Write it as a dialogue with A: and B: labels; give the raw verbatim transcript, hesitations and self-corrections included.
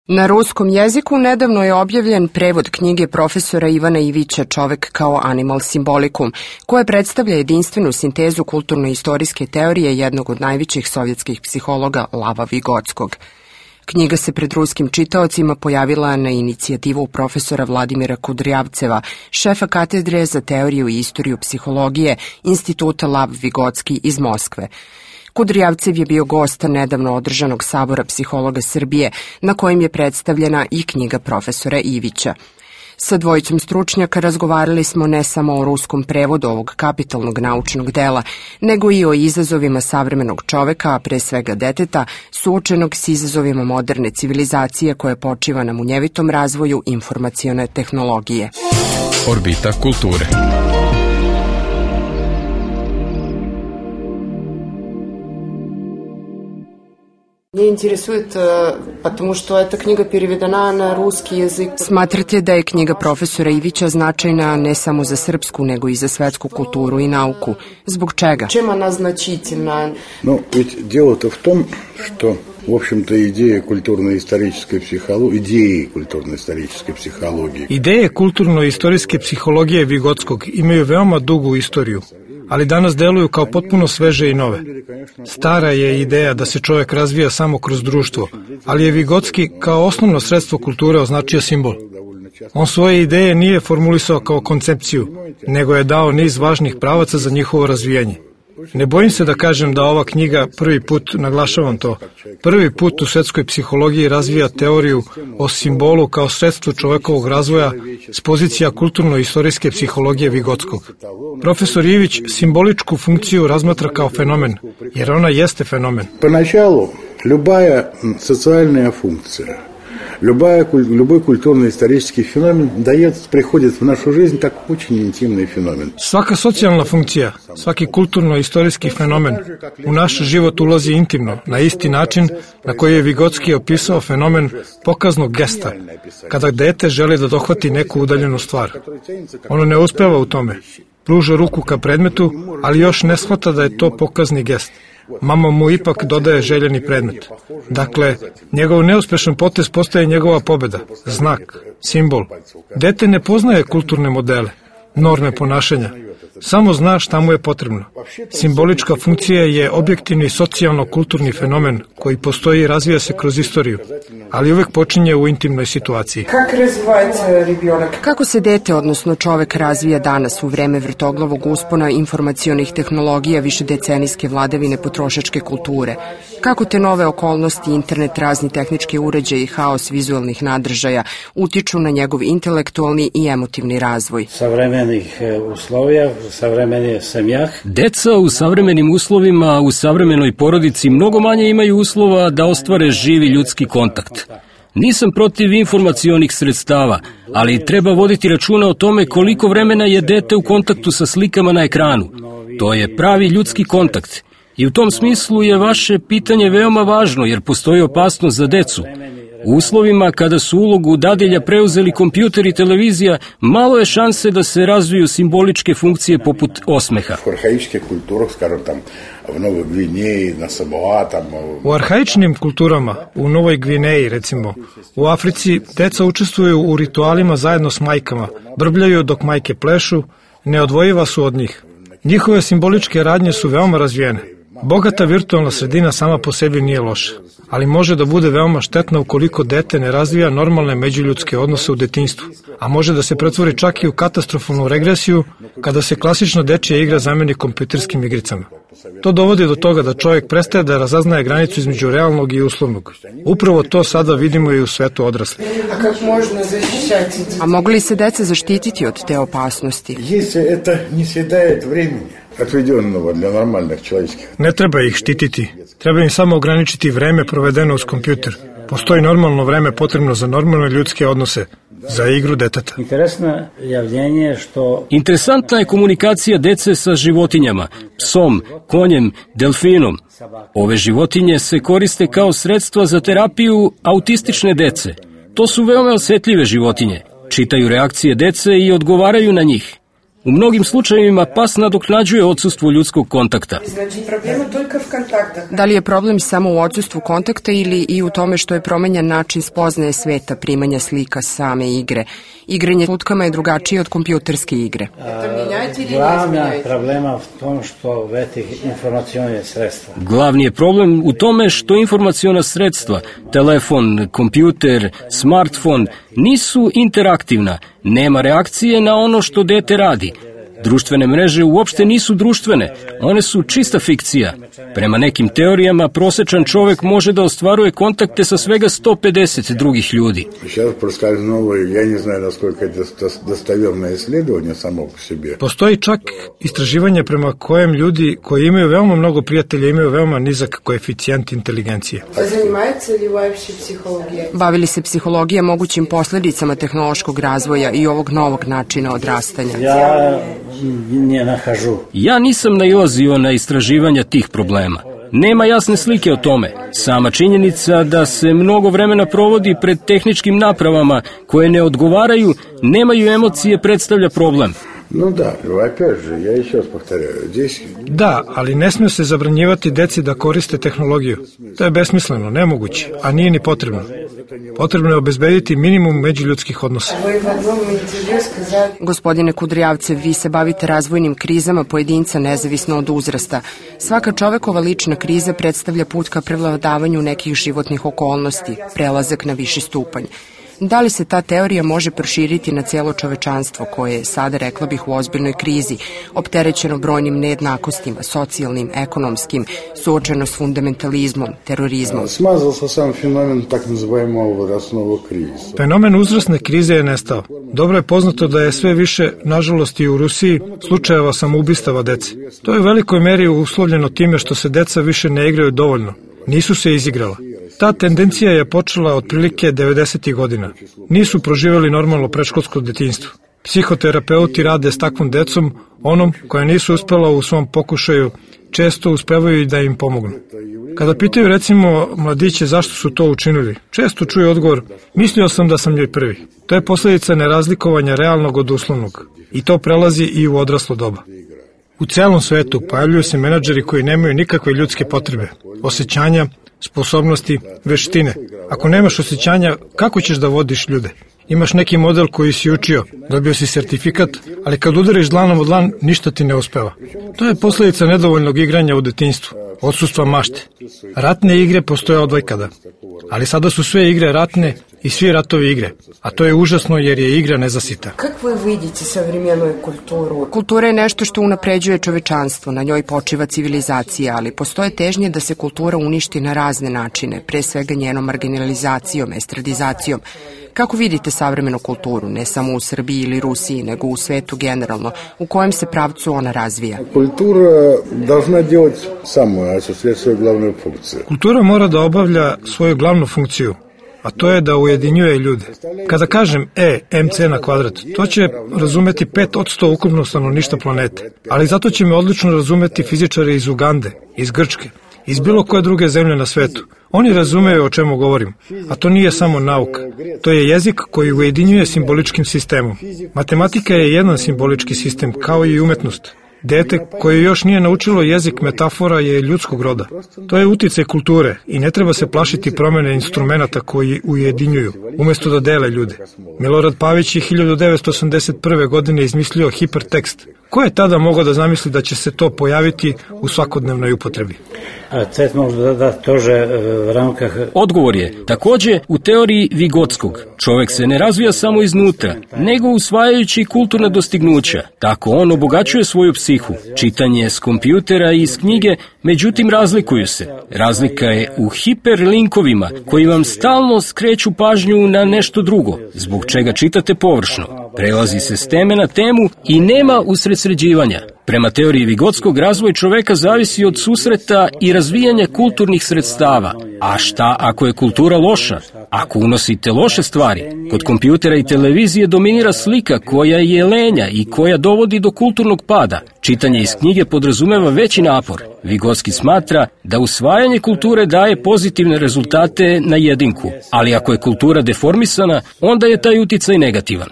A: Na ruskom jeziku nedavno je objavljen prevod knjige profesora Ivana Ivića Čovek kao animal simbolikum, koja predstavlja jedinstvenu sintezu kulturno-istorijske teorije jednog od najvećih sovjetskih psihologa Lava Vigotskog. Knjiga se pred ruskim čitaocima pojavila na inicijativu profesora Vladimira Kudrjavceva, šefa katedre za teoriju i istoriju psihologije Instituta Lav Vigotski iz Moskve. Kudrjavcev je bio gost nedavno održanog sabora psihologa Srbije, na kojem je predstavljena i knjiga profesora Ivića. Sa dvojicom stručnjaka razgovarali smo ne samo o ruskom prevodu ovog kapitalnog naučnog dela, nego i o izazovima savremenog čoveka, a pre svega deteta, suočenog s izazovima moderne civilizacije koja počiva na munjevitom razvoju informacione tehnologije.
B: Orbita kulture.
A: Mě interesuje, потому što je ta knjiga переведена na ruski jezik. Smatrate da je knjiga profesora Ivića značajna ne samo za srpsku, nego i za svetsku kulturu i nauku. Zbog čega? Чем она значительна?
C: Ну, ведь дело-то в том, что, в общем-то, идея культурно-исторической психологии, идеи культурно-исторической психологии.
D: Ideje kulturno-istorijske psihologije Vigotskog imaju veoma dugu istoriju, ali danas deluju kao potpuno sveže i nove. Stara je ideja da se čovjek razvija samo kroz društvo, ali je Vigotski kao osnovno sredstvo kulture označio simbol. On svoje ideje nije formulisao kao koncepciju, nego je dao niz važnih pravaca za njihovo razvijanje. Ne bojim se da kažem da ova knjiga prvi put, naglašavam to, prvi put u svetskoj psihologiji razvija teoriju o simbolu kao sredstvu čovekovog razvoja s pozicija kulturno-istorijske psihologije Vigotskog. Profesor Ivić simboličku funkciju razmatra kao fenomen, jer ona jeste fenomen.
C: Поначалу любая социальная функция, Любая, любой культурно-исторический феномен дает, приходит в нашу жизнь как очень интимный феномен.
D: Svaka socijalna funkcija, svaki kulturno-istorijski fenomen u naš život ulazi intimno, na isti način na koji je Vigotski opisao fenomen pokaznog gesta, kada dete želi da dohvati neku udaljenu stvar. Ono ne uspeva u tome. Pruža ruku ka predmetu, ali još ne shvata da je to pokazni gest. Mama mu ipak dodaje željeni predmet. Dakle, njegov neuspešan potez postaje njegova pobeda, znak, simbol. Dete ne poznaje kulturne modele, norme ponašanja, samo zna šta mu je potrebno. Simbolička funkcija je objektivni socijalno-kulturni fenomen koji postoji i razvija se kroz istoriju, ali uvek počinje u intimnoj situaciji.
A: Kako se dete, odnosno čovek, razvija danas u vreme vrtoglavog uspona informacionih tehnologija višedecenijske vladavine potrošačke kulture? Kako te nove okolnosti, internet, razni tehnički uređaji i haos vizualnih nadržaja utiču na njegov intelektualni i emotivni razvoj?
E: Savremenih uslovija, savremeni semjah.
F: Deca u savremenim uslovima, u savremenoj porodici mnogo manje imaju uslova da ostvare živi ljudski kontakt. Nisam protiv informacionih sredstava, ali treba voditi računa o tome koliko vremena je dete u kontaktu sa slikama na ekranu. To je pravi ljudski kontakt. I u tom smislu je vaše pitanje veoma važno, jer postoji opasnost za decu. U uslovima kada su ulogu dadilja preuzeli kompjuter i televizija, malo je šanse da se razviju simboličke funkcije poput osmeha.
D: U arhaičnim kulturama, u Novoj Gvineji recimo, u Africi, deca učestvuju u ritualima zajedno s majkama, brbljaju dok majke plešu, neodvojiva su od njih. Njihove simboličke radnje su veoma razvijene. Bogata virtualna sredina sama po sebi nije loša, ali može da bude veoma štetna ukoliko dete ne razvija normalne međuljudske odnose u detinjstvu, a može da se pretvori čak i u katastrofalnu regresiju kada se klasična dečija igra zameni kompjuterskim igricama. To dovodi do toga da čovjek prestaje da razaznaje granicu između realnog i uslovnog. Upravo to sada vidimo i u svetu odraslih.
A: A kako možemo zaštićati? A mogu li se deca zaštititi od te opasnosti?
C: Если это не съедает времени, отведенного для нормальных человеческих.
D: Ne treba ih štititi. Treba im samo ograničiti vreme provedeno uz kompjuter. Postoji normalno vreme potrebno za normalne ljudske odnose, za igru deteta.
F: Interesantna je komunikacija dece sa životinjama, psom, konjem, delfinom. Ove životinje se koriste kao sredstva za terapiju autistične dece. To su veoma osetljive životinje. Čitaju reakcije dece i odgovaraju na njih. U mnogim slučajevima pas nadoknađuje odsustvo ljudskog kontakta.
A: Da li je problem samo u odsustvu kontakta ili i u tome što je promenjen način spoznaje sveta, primanja slika same igre? Igranje lutkama je drugačije od kompjuterske igre.
E: Glavna problema v tom što veti informacione sredstva.
F: Glavni je problem u tome što informaciona sredstva, telefon, kompjuter, smartfon, nisu interaktivna, nema reakcije na ono što dete radi. Društvene mreže uopšte nisu društvene, one su čista fikcija. Prema nekim teorijama, prosečan čovek može da ostvaruje kontakte sa svega sto pedeset drugih ljudi.
D: Postoji čak istraživanje prema kojem ljudi koji imaju veoma mnogo prijatelja imaju veoma nizak koeficijent inteligencije.
A: Bavili se psihologija mogućim posledicama tehnološkog razvoja i ovog novog načina odrastanja?
E: Ja ne nahažu.
F: Ja nisam nailazio na istraživanja tih problema. Nema jasne slike o tome. Sama činjenica da se mnogo vremena provodi pred tehničkim napravama koje ne odgovaraju, nemaju emocije, predstavlja problem.
C: No da, opet же, ja еще раз повторяю, здесь...
D: Da, ali ne smije se zabranjivati deci da koriste tehnologiju. To je besmisleno, nemoguće, a nije ni potrebno. Potrebno je obezbediti minimum međuljudskih odnosa.
A: Gospodine Kudrijavcev, vi se bavite razvojnim krizama pojedinca nezavisno od uzrasta. Svaka čovekova lična kriza predstavlja put ka prevladavanju nekih životnih okolnosti, prelazak na viši stupanj. Da li se ta teorija može proširiti na cijelo čovečanstvo koje je sada, rekla bih, u ozbiljnoj krizi, opterećeno brojnim nejednakostima, socijalnim, ekonomskim, suočeno s fundamentalizmom, terorizmom?
C: Smazao se sam fenomen tak nazivajmo возрастного кризиса.
D: Fenomen uzrasne krize je nestao. Dobro je poznato da je sve više, nažalost i u Rusiji, slučajeva samoubistava dece. To je u velikoj meri uslovljeno time što se deca više ne igraju dovoljno. Nisu se izigrala. Ta tendencija je počela otprilike devedesetih godina. Nisu proživjeli normalno predškolsko detinjstvo. Psihoterapeuti rade s takvom decom, onom koja nisu uspela u svom pokušaju, često uspevaju i da im pomognu. Kada pitaju recimo mladiće zašto su to učinili, često čuju odgovor, mislio sam da sam joj prvi. To je posljedica nerazlikovanja realnog od uslovnog. I to prelazi i u odraslo doba. U celom svetu pojavljuju se menadžeri koji nemaju nikakve ljudske potrebe, osjećanja, sposobnosti, veštine. Ako nemaš osjećanja, kako ćeš da vodiš ljude? Imaš neki model koji si učio, dobio si sertifikat, ali kad udariš dlanom od dlan, ništa ti ne uspeva. To je posljedica nedovoljnog igranja u detinjstvu, odsustva mašte. Ratne igre postoje odvajkada, ali sada su sve igre ratne i svi ratovi igre, a to je užasno jer je igra nezasita.
A: Kako vi vidite savremennu kulturu? Kultura je nešto što unapređuje čovečanstvo, na njoj počiva civilizacija, ali postoje težnje da se kultura uništi na razne načine, pre svega njenom marginalizacijom, estradizacijom. Kako vidite savremenu kulturu, ne samo u Srbiji ili Rusiji, nego u svetu generalno, u kojem se pravcu ona razvija?
C: Kultura должна делать самую, осуществлять свою главную функцию.
D: Kultura mora da obavlja svoju glavnu funkciju, a to je da ujedinjuje ljude. Kada kažem E, mc na kvadrat, to će razumeti pet od sto ukupnog stanovništva planete, ali zato će me odlično razumeti fizičari iz Ugande, iz Grčke, iz bilo koje druge zemlje na svetu. Oni razumeju o čemu govorim, a to nije samo nauka. To je jezik koji ujedinjuje simboličkim sistemom. Matematika je jedan simbolički sistem, kao i umetnost. Dete koje još nije naučilo jezik metafora je ljudskog roda. To je uticaj kulture i ne treba se plašiti promene instrumenata koji ujedinjuju, umesto da dele ljude. Milorad Pavić je hiljadu devetsto osamdeset prve. godine izmislio hipertekst. Ko je tada mogao da zamisli da će se to pojaviti u svakodnevnoj upotrebi?
F: Odgovor je takođe u teoriji Vigotskog. Čovek se ne razvija samo iznutra, nego usvajajući kulturna dostignuća. Tako on obogaćuje svoju psihu. Čitanje s kompjutera i iz knjige, međutim razlikuju se. Razlika je u hiperlinkovima koji vam stalno skreću pažnju na nešto drugo, zbog čega čitate površno. Prelazi se s teme na temu i nema usredsređivanja. Prema teoriji Vigotskog, razvoj čoveka zavisi od susreta i razvijanja kulturnih sredstava. A šta ako je kultura loša? Ako unosite loše stvari? Kod kompjutera i televizije dominira slika koja je lenja i koja dovodi do kulturnog pada. Čitanje iz knjige podrazumeva veći napor. Vigotski smatra da usvajanje kulture daje pozitivne rezultate na jedinku, ali ako je kultura deformisana, onda je taj uticaj negativan.